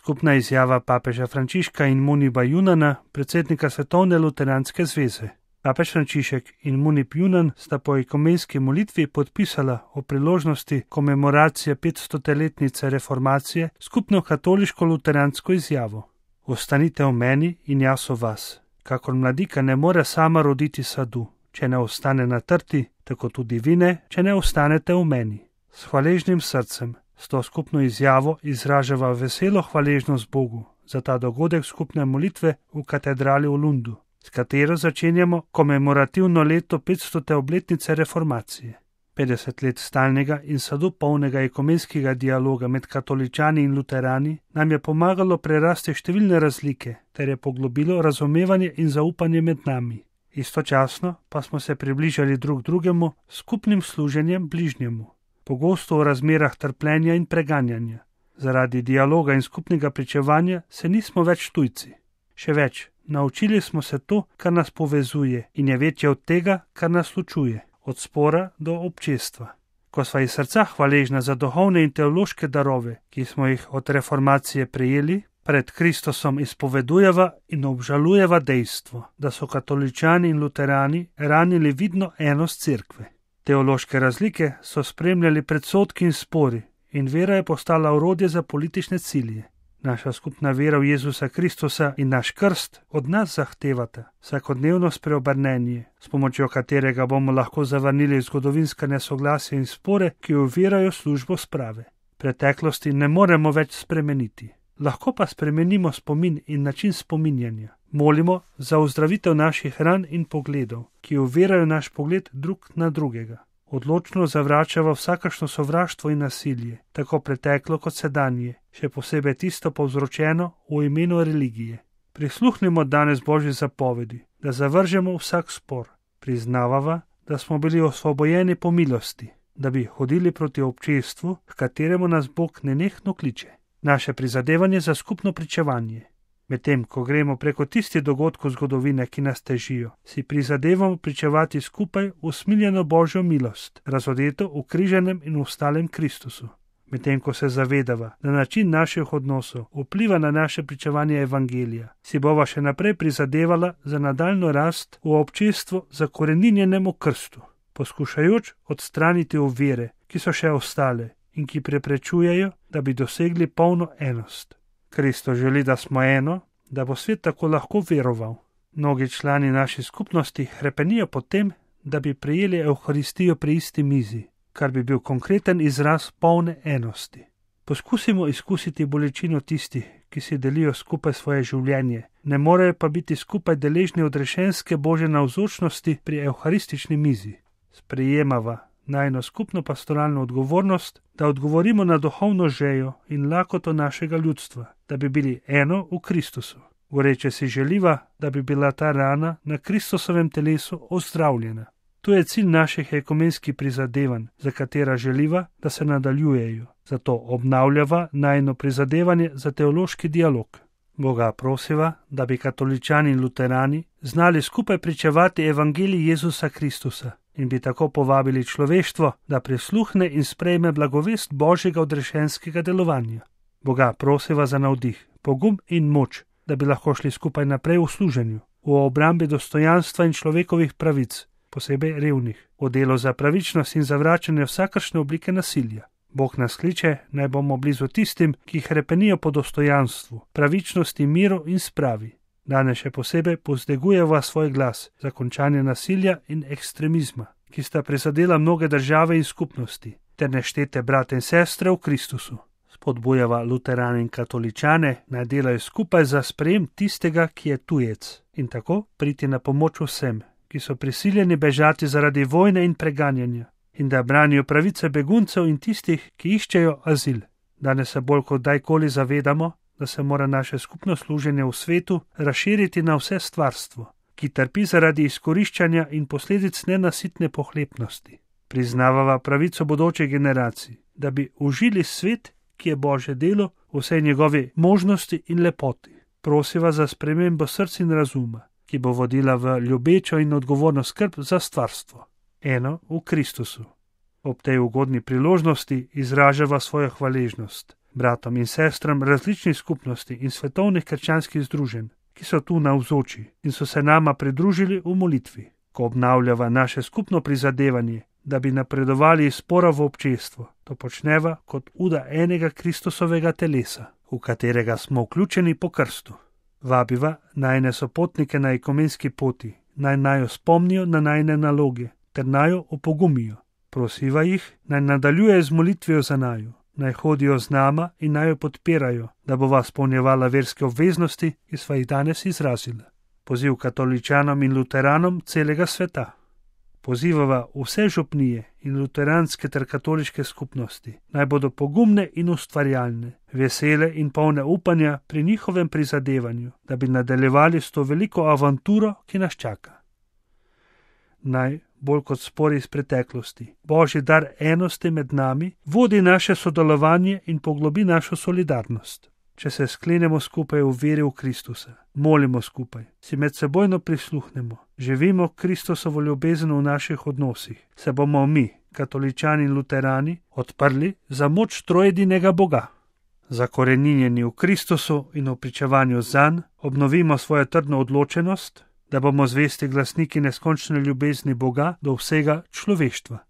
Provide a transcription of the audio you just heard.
Skupna izjava papeža Frančiška in Muniba Junana, predsednika Svetovne luteranske zveze. Papež Frančišek in Munib Junan sta po ekumenski molitvi podpisala o priložnosti komemoracije 500-letnice reformacije skupno katoliško-luteransko izjavo. Ostanite v meni in jaz v vas. Kakor mladika ne more sama roditi sadu, če ne ostane na trti, tako tudi vi ne, če ne ostanete v meni. S hvaležnim srcem, s to skupno izjavo izražava veselo hvaležnost Bogu za ta dogodek skupne molitve v katedrali v Lundu, s katero začenjamo komemorativno leto 500. obletnice reformacije. 50 let stalnega in sadu polnega ekumenskega dialoga med katoličani in luterani nam je pomagalo prerasti številne razlike ter je poglobilo razumevanje in zaupanje med nami. Istočasno pa smo se približali drug drugemu s skupnim služenjem bližnjemu. Pogosto v razmerah trpljenja in preganjanja. Zaradi dialoga in skupnega pričevanja se nismo več tujci. Še več, naučili smo se to, kar nas povezuje in je večje od tega, kar nas ločuje, od spora do občestva. Ko sva iz srca hvaležna za duhovne in teološke darove, ki smo jih od reformacije prejeli, pred Kristusom izpovedujeva in obžalujeva dejstvo, da so katoličani in luterani ranili vidno enost cerkve. Teološke razlike so spremljali predsodki in spori in vera je postala orodje za politične cilje. Naša skupna vera v Jezusa Kristusa in naš krst od nas zahtevata vsakodnevno spreobrnenje, s pomočjo katerega bomo lahko zavrnili zgodovinska nesoglasja in spore, ki ovirajo službo sprave. Preteklosti ne moremo več spremeniti. Lahko pa spremenimo spomin in način spominjanja. Molimo za ozdravitev naših ran in pogledov, ki ovirajo naš pogled drug na drugega. Odločno zavračava vsakašno sovraštvo in nasilje, tako preteklo kot sedanje, še posebej tisto povzročeno v imenu religije. Prisluhnimo danes Božji zapovedi, da zavržemo vsak spor. Priznavava, da smo bili osvobojeni po milosti, da bi hodili proti občestvu, k kateremu nas Bog nenehno kliče. Naše prizadevanje za skupno pričevanje. Medtem, ko gremo preko tistih dogodkov zgodovine, ki nas težijo, si prizadevamo pričevati skupaj usmiljeno Božjo milost, razodeto v križenem in ustalem Kristusu. Medtem, ko se zavedava, da način naših odnosov vpliva na naše pričevanje evangelija, si bova še naprej prizadevala za nadaljno rast v občestvu zakoreninjenemu krstu, poskušajoč odstraniti ovire, ki so še ostale in ki preprečujejo, da bi dosegli polno enost. Kristus želi, da smo eno, da bo svet tako lahko veroval. Mnogi člani naše skupnosti hrepenijo po tem, da bi prejeli Evharistijo pri isti mizi, kar bi bil konkreten izraz polne enosti. Poskusimo izkusiti bolečino tistih, ki si delijo skupaj svoje življenje, ne morejo pa biti skupaj deležni odrešenske Božje navzočnosti pri evharistični mizi. Sprejemava najno skupno pastoralno odgovornost, da odgovorimo na duhovno žejo in lakoto našega ljudstva, da bi bili eno v Kristusu. Goreče si želiva, da bi bila ta rana na Kristusovem telesu ozdravljena. To je cilj naših ekumenskih prizadevanj, za katera želiva, da se nadaljujejo. Zato obnavljava najno prizadevanje za teološki dialog. Boga prosiva, da bi katoličani in luterani znali skupaj pričevati evangelij Jezusa Kristusa in bi tako povabili človeštvo, da prisluhne in sprejme blagovest Božjega odrešenskega delovanja. Boga prosiva za navdih, pogum in moč, da bi lahko šli skupaj naprej v služenju, v obrambi dostojanstva in človekovih pravic, posebej revnih, v delu za pravičnost in zavračanje vsakršne oblike nasilja. Bog nas kliče, naj bomo blizu tistim, ki hrepenijo po dostojanstvu, pravičnosti, miru in spravi. Danes še posebej povzdigujeva svoj glas za končanje nasilja in ekstremizma, ki sta prizadela mnoge države in skupnosti, ter neštete brate in sestre v Kristusu. Spodbujava luterane in katoličane, naj delajo skupaj za sprejem tistega, ki je tujec, in tako priti na pomoč vsem, ki so prisiljeni bežati zaradi vojne in preganjanja, in da branijo pravice beguncev in tistih, ki iščejo azil. Danes se bolj kot dajkoli zavedamo, da se mora naše skupno služenje v svetu razširiti na vse stvarstvo, ki trpi zaradi izkoriščanja in posledic nenasitne pohlepnosti. Priznavava pravico bodoče generacij, da bi užili svet, ki je Božje delo, vse njegove možnosti in lepoti. Prosiva za spremembo src in razuma, ki bo vodila v ljubečo in odgovorno skrb za stvarstvo. Eno v Kristusu. Ob tej ugodni priložnosti izražava svojo hvaležnost bratom in sestram različnih skupnosti in svetovnih krščanskih združenj, ki so tu navzoči in so se nama pridružili v molitvi, ko obnavljava naše skupno prizadevanje, da bi napredovali iz spora v občestvo. To počneva kot uda enega Kristusovega telesa, v katerega smo vključeni po krstu. Vabiva najne sopotnike na ekumenski poti, naj jo spomnijo na najne naloge, ter naj jo opogumijo. Prosiva jih, naj nadaljujejo z molitvijo za naju, naj hodijo z nama in naj jo podpirajo, da bova spolnjevala verske obveznosti, ki sva jih danes izrazila. Poziv katoličanom in luteranom celega sveta. Pozivava vse župnije in luteranske ter katoliške skupnosti, naj bodo pogumne in ustvarjalne, vesele in polne upanja pri njihovem prizadevanju, da bi nadaljevali s to veliko avanturo, ki nas čaka. Naj, bolj kot spori iz preteklosti, Božji dar enosti med nami vodi naše sodelovanje in poglobi našo solidarnost. Če se sklenemo skupaj v veri v Kristusa, molimo skupaj, si medsebojno prisluhnemo, živimo Kristusovo ljubezen v naših odnosih, se bomo mi, katoličani in luterani, odprli za moč trojedinega Boga. Zakoreninjeni v Kristusu in v pričevanju zanj, obnovimo svojo trdno odločenost, da bomo zvesti glasniki neskončne ljubezni Boga do vsega človeštva.